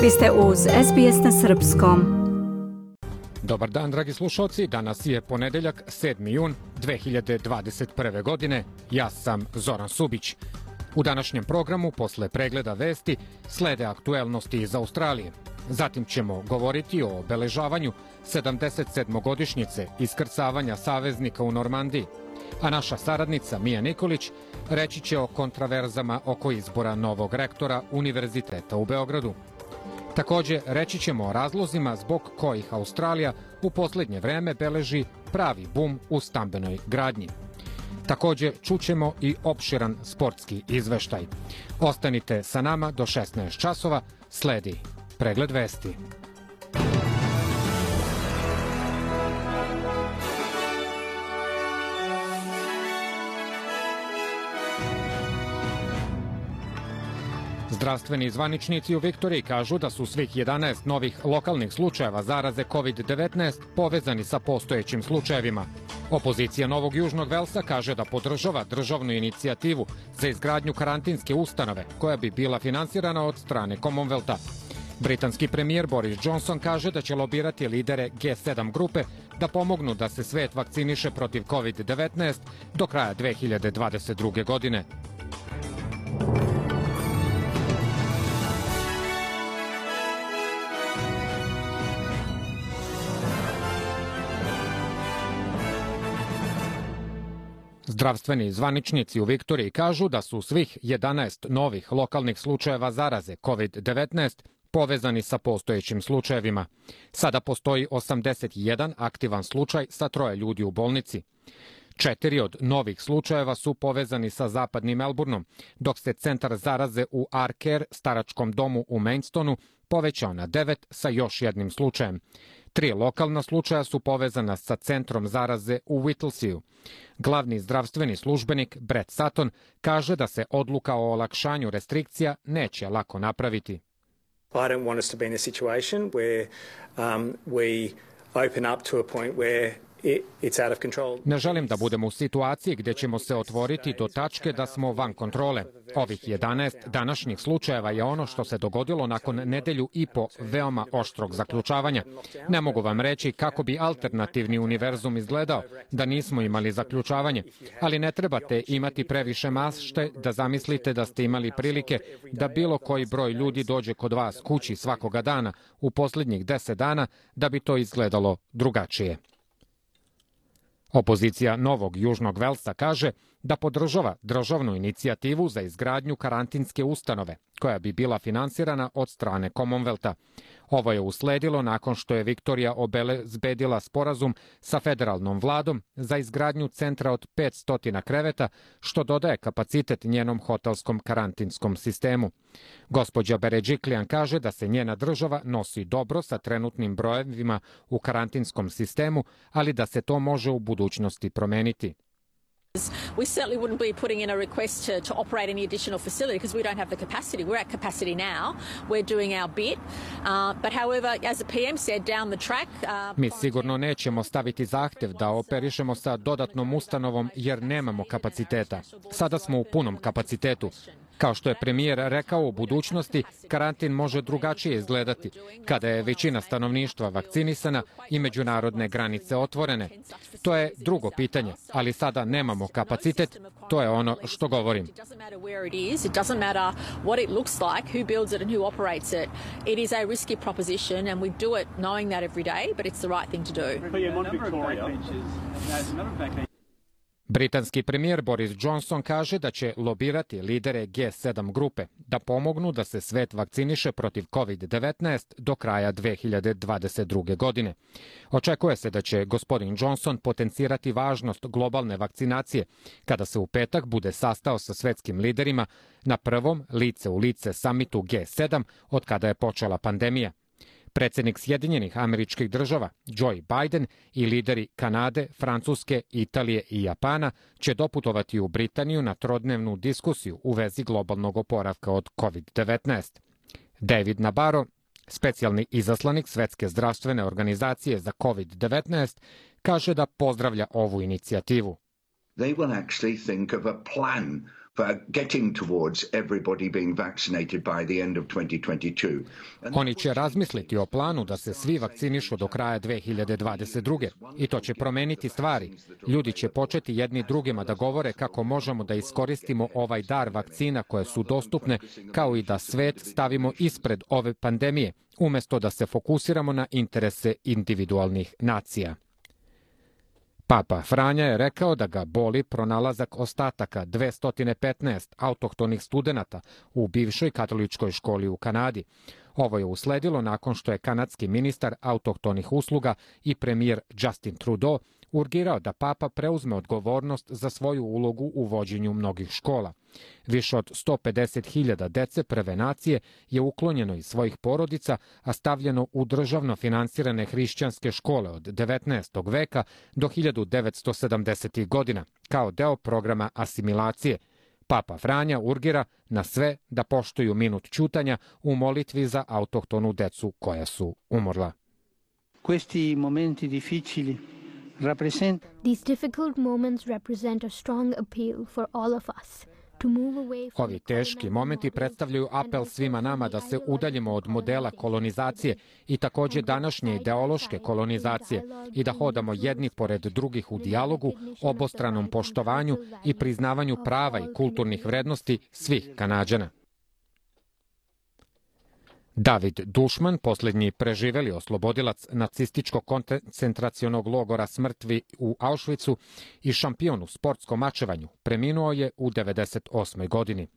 Vi ste uz SBS na srpskom. Dobar dan, dragi slušalci. Danas je ponedeljak, 7. jun 2021. godine. Ja sam Zoran Subić. U današnjem programu, posle pregleda vesti, slede aktuelnosti iz Australije. Zatim ćemo govoriti o obeležavanju 77. iskrcavanja saveznika u Normandiji. A naša saradnica Mija Nikolić reći će o kontraverzama oko izbora novog rektora Univerziteta u Beogradu. Takođe, reći ćemo o razlozima zbog kojih Australija u poslednje vreme beleži pravi bum u stambenoj gradnji. Takođe, čućemo i opširan sportski izveštaj. Ostanite sa nama do 16 časova, sledi pregled vesti. Zdravstveni zvaničnici u Viktoriji kažu da su svih 11 novih lokalnih slučajeva zaraze COVID-19 povezani sa postojećim slučajevima. Opozicija Novog Južnog Velsa kaže da podržava državnu inicijativu za izgradnju karantinske ustanove koja bi bila finansirana od strane Commonwealtha. Britanski premijer Boris Johnson kaže da će lobirati lidere G7 grupe da pomognu da se svet vakciniše protiv COVID-19 do kraja 2022. godine. Zdravstveni zvaničnici u Viktoriji kažu da su svih 11 novih lokalnih slučajeva zaraze COVID-19 povezani sa postojećim slučajevima. Sada postoji 81 aktivan slučaj sa 3 ljudi u bolnici. 4 od novih slučajeva su povezani sa zapadnim Melbourneom, dok se centar zaraze u Arcare, staračkom domu u Mainstonu, povećao na 9 sa još jednim slučajem. 3 lokalna slučaja su povezana sa centrom zaraze u Whittlesea. Glavni zdravstveni službenik Brett Sutton kaže da se odluka o olakšanju restrikcija neće lako napraviti. I don't want us to be in a situation where we open up to a point where it's out of control. Ne želim da budemo u situaciji gdje ćemo se otvoriti do tačke da smo van kontrole. Ovih 11 današnjih slučajeva je ono što se dogodilo nakon nedelju i po veoma oštrog zaključavanja. Ne mogu vam reći kako bi alternativni univerzum izgledao da nismo imali zaključavanje, ali ne trebate imati previše mašte da zamislite da ste imali prilike da bilo koji broj ljudi dođe kod vas kući svakoga dana u posljednjih 10 dana da bi to izgledalo drugačije. Opozicija Novog Južnog Velsa kaže da podržava državnu inicijativu za izgradnju karantinske ustanove, koja bi bila finansirana od strane Commonwealtha. Ovo je usledilo nakon što je Viktorija obezbedila sporazum sa federalnom vladom za izgradnju centra od 500 kreveta, što dodaje kapacitet njenom hotelskom karantinskom sistemu. Gospođa Berejiklian kaže da se njena država nosi dobro sa trenutnim brojevima u karantinskom sistemu, ali da se to može u budućnosti promeniti. We certainly wouldn't be putting in a request to operate any additional facility because we don't have the capacity. We're at capacity now. We're doing our bit. But however, as the PM said, down the track... Mi sigurno nećemo staviti zahtev da operišemo sa dodatnom ustanovom jer nemamo kapaciteta. Sada smo u punom kapacitetu. Kao što je premijer rekao, u budućnosti karantin može drugačije izgledati kada je većina stanovništva vakcinisana i međunarodne granice otvorene. To je drugo pitanje, ali sada nemamo kapacitet, to je ono što govorim. Britanski premijer Boris Johnson kaže da će lobirati lidere G7 grupe da pomognu da se svet vakciniše protiv COVID-19 do kraja 2022. godine. Očekuje se da će gospodin Johnson potencirati važnost globalne vakcinacije kada se u petak bude sastao sa svetskim liderima na prvom lice u lice samitu G7 od kada je počela pandemija. Predsjednik Sjedinjenih Američkih Država, Joe Biden, i lideri Kanade, Francuske, Italije i Japana će doputovati u Britaniju na trodnevnu diskusiju u vezi globalnog oporavka od COVID-19. David Nabarro, specijalni izaslanik Svetske zdravstvene organizacije za COVID-19, kaže da pozdravlja ovu inicijativu. They will actually think of a plan Oni će razmisliti o planu da se svi vakcinišu do kraja 2022. I to će promeniti stvari. Ljudi će početi jedni drugima da govore kako možemo da iskoristimo ovaj dar vakcina koje su dostupne, kao i da svet stavimo ispred ove pandemije, umesto da se fokusiramo na interese individualnih nacija. Papa Franja je rekao da ga boli pronalazak ostataka 215 autohtonih studenata u bivšoj katoličkoj školi u Kanadi. Ovo je usledilo nakon što je kanadski ministar autohtonih usluga i premijer Justin Trudeau urgirao da papa preuzme odgovornost za svoju ulogu u vođenju mnogih škola. Više od 150.000 dece prve nacije je uklonjeno iz svojih porodica, a stavljeno u državno finansirane hrišćanske škole od 19. veka do 1970. godina, kao deo programa asimilacije. Papa Franja urgira na sve da poštuju minut ćutanja u molitvi za autohtonu decu koja su umrla. Questi momenti difficili These difficult moments represent a strong appeal for all of us. Ovi teški momenti predstavljaju apel svima nama da se udaljimo od modela kolonizacije i takođe današnje ideološke kolonizacije i da hodamo jedni pored drugih u dijalogu, obostranom poštovanju i priznavanju prava i kulturnih vrednosti svih Kanađana. David Dušman, posljednji preživeli oslobodilac nacističkog koncentracionog logora smrtvi u Auschwitzu i šampion u sportskom mačevanju, preminuo je u 98. godini.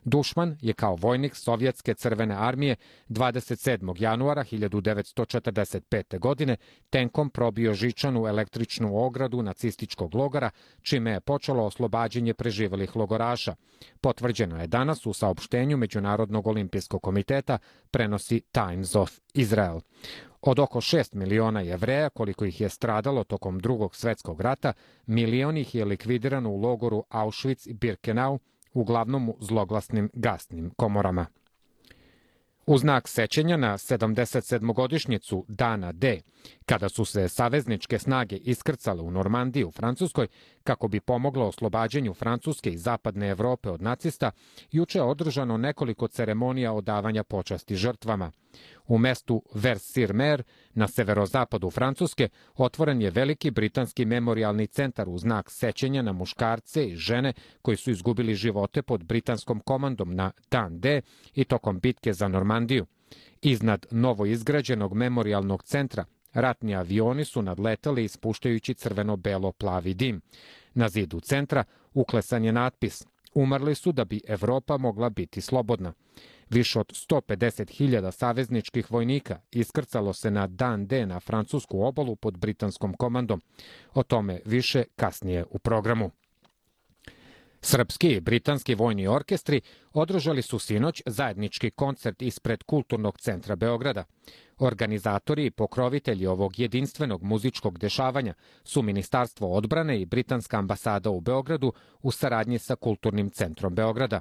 Dušman je kao vojnik Sovjetske crvene armije 27. januara 1945. godine tenkom probio žičanu električnu ogradu nacističkog logora, čime je počelo oslobađanje preživelih logoraša. Potvrđeno je danas u saopštenju Međunarodnog olimpijskog komiteta, prenosi Times of Israel. Od oko 6 miliona Jevreja, koliko ih je stradalo tokom Drugog svjetskog rata, milion ih je likvidirano u logoru Auschwitz i Birkenau, uglavnom u zloglasnim gasnim komorama. U znak sećanja na 77-godišnjicu Dana D, kada su se savezničke snage iskrcale u Normandiji u Francuskoj kako bi pomoglo oslobađanju Francuske i zapadne Evrope od nacista, juče je održano nekoliko ceremonija odavanja počasti žrtvama. U mestu Vers-sur-Mer, na severozapadu Francuske, otvoren je veliki britanski memorijalni centar u znak sećanja na muškarce i žene koji su izgubili živote pod britanskom komandom na Dan D i tokom bitke za Normandiju. Iznad novoizgrađenog memorijalnog centra ratni avioni su nadletali ispuštajući crveno-belo-plavi dim. Na zidu centra uklesan je natpis: umrli su da bi Evropa mogla biti slobodna. Više od 150.000 savezničkih vojnika iskrcalo se na Dan D na francusku obalu pod britanskom komandom. O tome više kasnije u programu. Srpski i britanski vojni orkestri održali su sinoć zajednički koncert ispred Kulturnog centra Beograda. Organizatori i pokrovitelji ovog jedinstvenog muzičkog dešavanja su Ministarstvo odbrane i Britanska ambasada u Beogradu u saradnji sa Kulturnim centrom Beograda.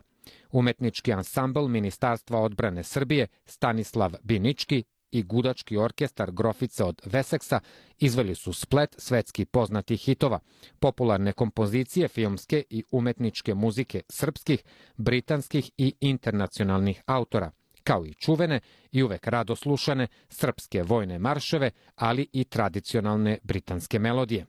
Umetnički ansambl Ministarstva odbrane Srbije Stanislav Binički i gudački orkestar Grofice od Veseksa izveli su splet svetski poznatih hitova, popularne kompozicije filmske i umetničke muzike srpskih, britanskih i internacionalnih autora, kao i čuvene i uvek rado slušane srpske vojne marševe, ali i tradicionalne britanske melodije.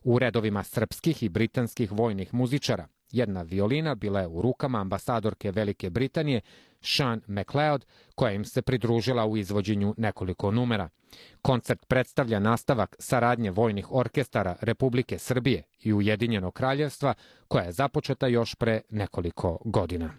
U redovima srpskih i britanskih vojnih muzičara jedna violina bila je u rukama ambasadorke Velike Britanije Sean MacLeod, koja im se pridružila u izvođenju nekoliko numera. Koncert predstavlja nastavak saradnje vojnih orkestara Republike Srbije i Ujedinjenog kraljevstva, koja je započeta još pre nekoliko godina.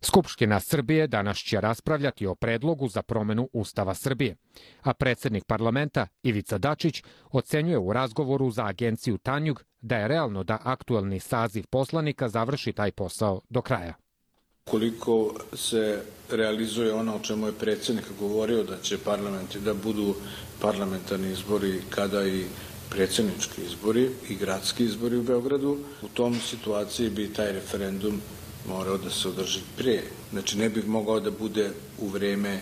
Skupština Srbije danas će raspravljati o predlogu za promenu Ustava Srbije, a predsjednik parlamenta Ivica Dačić ocenjuje u razgovoru za agenciju Tanjug da je realno da aktuelni saziv poslanika završi taj posao do kraja. Koliko se realizuje ono o čemu je predsjednik govorio, da će parlamenti da budu parlamentarni izbori kada i predsjednički izbori i gradski izbori u Beogradu, u tom situaciji bi taj referendum morao da se održi prije. Znači ne bih mogao da bude u vreme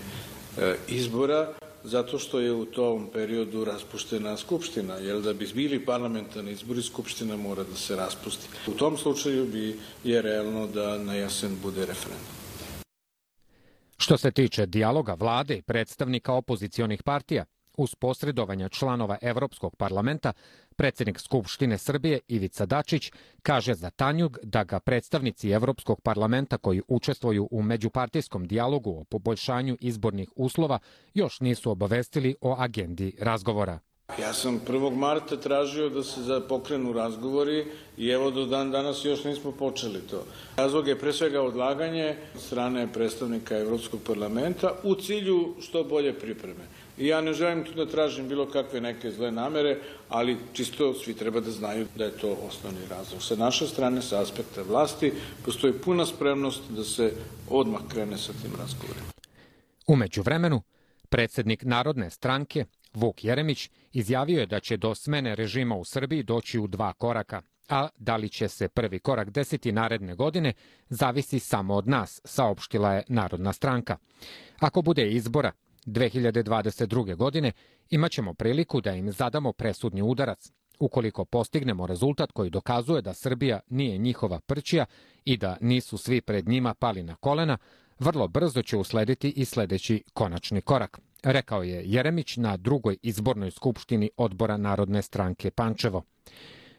izbora, zato što je u tom periodu raspuštena Skupština, jer da bi bili parlamentarni izbori, Skupština mora da se raspusti. U tom slučaju je realno da na jesen bude referendum. Što se tiče dijaloga vlade i predstavnika opozicionih partija, uz posredovanje članova Evropskog parlamenta, predsjednik Skupštine Srbije Ivica Dačić kaže za Tanjug da ga predstavnici Evropskog parlamenta koji učestvuju u međupartijskom dijalogu o poboljšanju izbornih uslova još nisu obavestili o agendi razgovora. Ja sam 1. marta tražio da se pokrenu razgovori i evo do dan danas još nismo počeli to. Razlog je pre svega odlaganje strane predstavnika Evropskog parlamenta u cilju što bolje pripreme. I ja ne želim tu da tražim bilo kakve neke zle namere, ali čisto svi treba da znaju da je to osnovni razlog. Sa naše strane, sa aspekta vlasti, postoji puna spremnost da se odmah krene sa tim razgovorima. U međuvremenu, predsjednik Narodne stranke Vuk Jeremić izjavio je da će do smene režima u Srbiji doći u 2 koraka, a da li će se prvi korak desiti naredne godine zavisi samo od nas, saopštila je Narodna stranka. Ako bude izbora 2022. godine, imaćemo priliku da im zadamo presudni udarac. Ukoliko postignemo rezultat koji dokazuje da Srbija nije njihova prćija i da nisu svi pred njima pali na kolena, vrlo brzo će uslediti i sledeći konačni korak, rekao je Jeremić na 2. izbornoj skupštini odbora Narodne stranke Pančevo.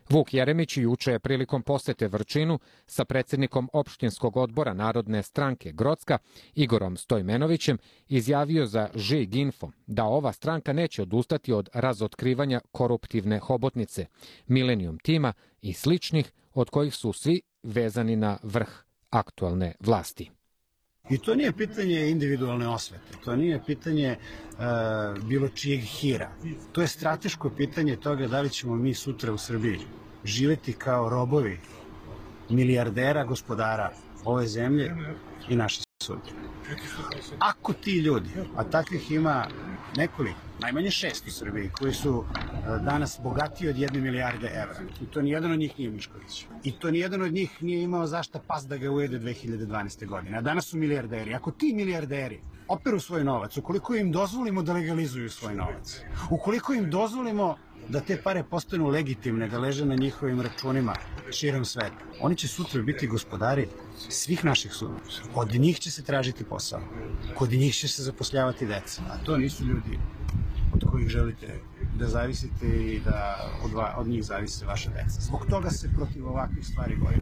Vuk Jeremić juče je prilikom posete Vrčinu sa predsjednikom opštinskog odbora Narodne stranke Grocka Igorom Stojmenovićem izjavio za Žig Info da ova stranka neće odustati od razotkrivanja koruptivne hobotnice, Millennium tima i sličnih, od kojih su svi vezani na vrh aktualne vlasti. I to nije pitanje individualne osvete, to nije pitanje bilo čijeg hira. To je strateško pitanje toga da li ćemo mi sutra u Srbiji živeti kao robovi milijardera, gospodara ove zemlje i naše sudbine. Ako ti ljudi, a takvih ima nekoliko, najmanje 6 u Srbiji, koji su danas bogatiji od 1 milijarde evra, i to nijedan od njih nije Mišković, i to nijedan od njih nije imao zašta pas da ga ujede 2012. godine, a danas su milijarderi. Ako ti milijarderi operu svoj novac, ukoliko im dozvolimo da legalizuju svoj novac, ukoliko im dozvolimo da te pare postanu legitimne, da leže na njihovim računima širom sveta, oni će sutra biti gospodari svih naših sudbina. Od njih će se tražiti posao, kod njih će se zapošljavati deca, a to nisu ljudi od kojih želite da zavisite i da od njih zavise vaša deca. Zbog toga se protiv ovakvih stvari borim.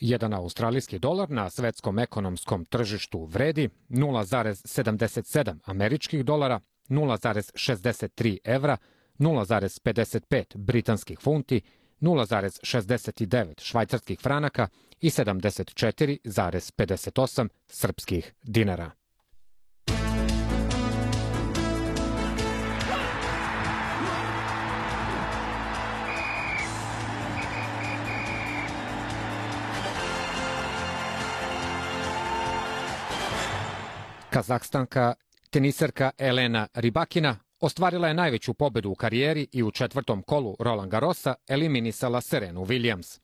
Jedan australijski dolar na svetskom ekonomskom tržištu vredi 0,77 američkih dolara, 0,63 evra, 0,55 britanskih funti, 0,69 švajcarskih franaka i 74,58 srpskih dinara. Kazahstanka teniserka Elena Rybakina ostvarila je najveću pobedu u karijeri i u 4. kolu Roland Garrosa eliminisala Serenu Williams.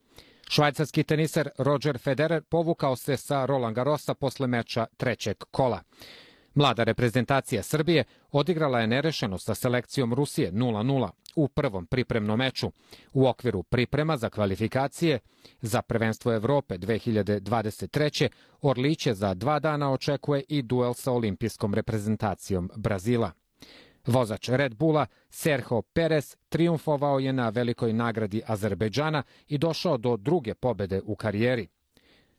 Švajcarski teniser Roger Federer povukao se sa Roland Garrosa posle meča 3. kola. Mlada reprezentacija Srbije odigrala je nerešeno sa selekcijom Rusije 0:0 u prvom pripremnom meču. U okviru priprema za kvalifikacije za prvenstvo Evrope 2023. Orliće za 2 dana očekuje i duel sa olimpijskom reprezentacijom Brazila. Vozač Red Bulla Sergio Perez triumfovao je na velikoj nagradi Azerbejdžana i došao do 2. pobede u karijeri.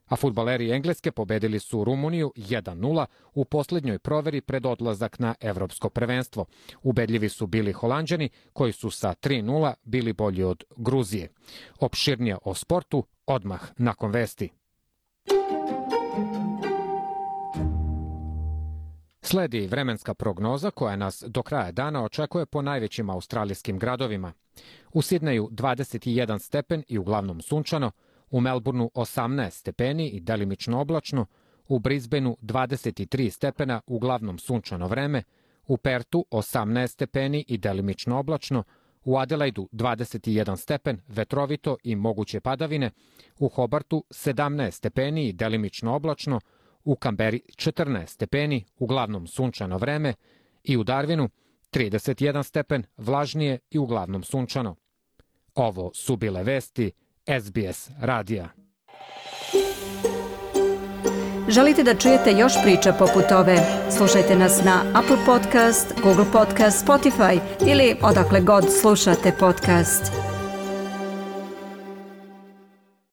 A fudbaleri Engleske pobedili su Rumuniju 1:0 u posljednjoj proveri pred odlazak na evropsko prvenstvo. Ubedljivi su bili Holanđani koji su sa 3:0 bili bolji od Gruzije. Opširnije o sportu odmah nakon vesti. Sledi vremenska prognoza koja nas do kraja dana očekuje po najvećim australijskim gradovima. U Sidneju 21 stepen i uglavnom sunčano, u Melbourneu 18 stepeni i delimično oblačno, u Brisbaneu 23 stepena, uglavnom sunčano vreme, u Pertu 18 stepeni i delimično oblačno, u Adelaidu 21 stepen, vetrovito i moguće padavine, u Hobartu 17 stepeni i delimično oblačno, u Kamberi 14 stepeni, uglavnom sunčano vreme, i u Darwinu 31 stepen, vlažnije i uglavnom sunčano. Ovo su bile vesti SBS radija. Želite da čujete još priča poput ove? Slušajte nas na Apple Podcast, Google Podcast, Spotify ili odakle god slušate podcast.